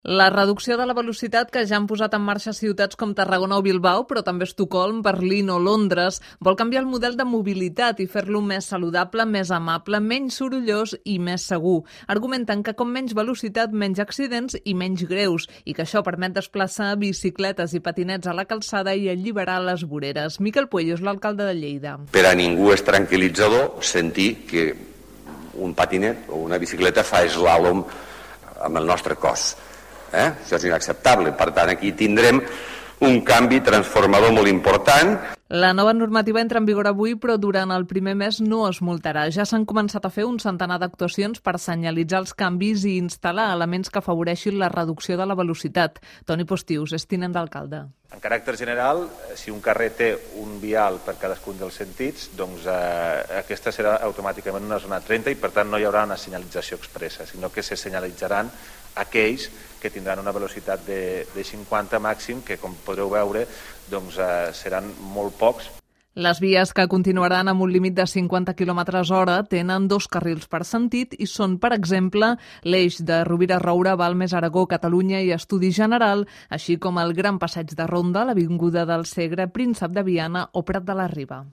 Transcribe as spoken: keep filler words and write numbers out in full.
La reducció de la velocitat que ja han posat en marxa ciutats com Tarragona o Bilbao, però també Estocolm, Berlín o Londres, vol canviar el model de mobilitat i fer-lo més saludable, més amable, menys sorollós i més segur. Argumenten que com menys velocitat, menys accidents i menys greus, i que això permet desplaçar bicicletes i patinets a la calçada i alliberar les voreres. Miquel Puello és l'alcalde de Lleida. Per a ningú és tranquil·litzador sentir que un patinet o una bicicleta fa eslàlom amb el nostre cos. Eh? Això és inacceptable. Per tant, aquí tindrem un canvi transformador molt important. La nova normativa entra en vigor avui, però durant el primer mes no es multarà. Ja s'han començat a fer un centenar d'actuacions per senyalitzar els canvis i instal·lar elements que afavoreixin la reducció de la velocitat. Toni Postius és tinent d'alcalde. En caràcter general, si un carrer té un vial per cadascun dels sentits, doncs eh, aquesta serà automàticament una zona trenta i per tant no hi haurà una senyalització expressa, sinó que se senyalitzaran aquells que tindran una velocitat de, de cinquanta màxim, que com podreu veure doncs, eh, seran molt pocs. Les vies que continuaran amb un límit de cinquanta quilòmetres hora tenen dos carrils per sentit i són, per exemple, l'eix de Rovira Roure, Balmes, Aragó, Catalunya i Estudi General, així com el Gran Passeig de Ronda, l'Avinguda del Segre, Príncep de Viana o Prat de la Riba.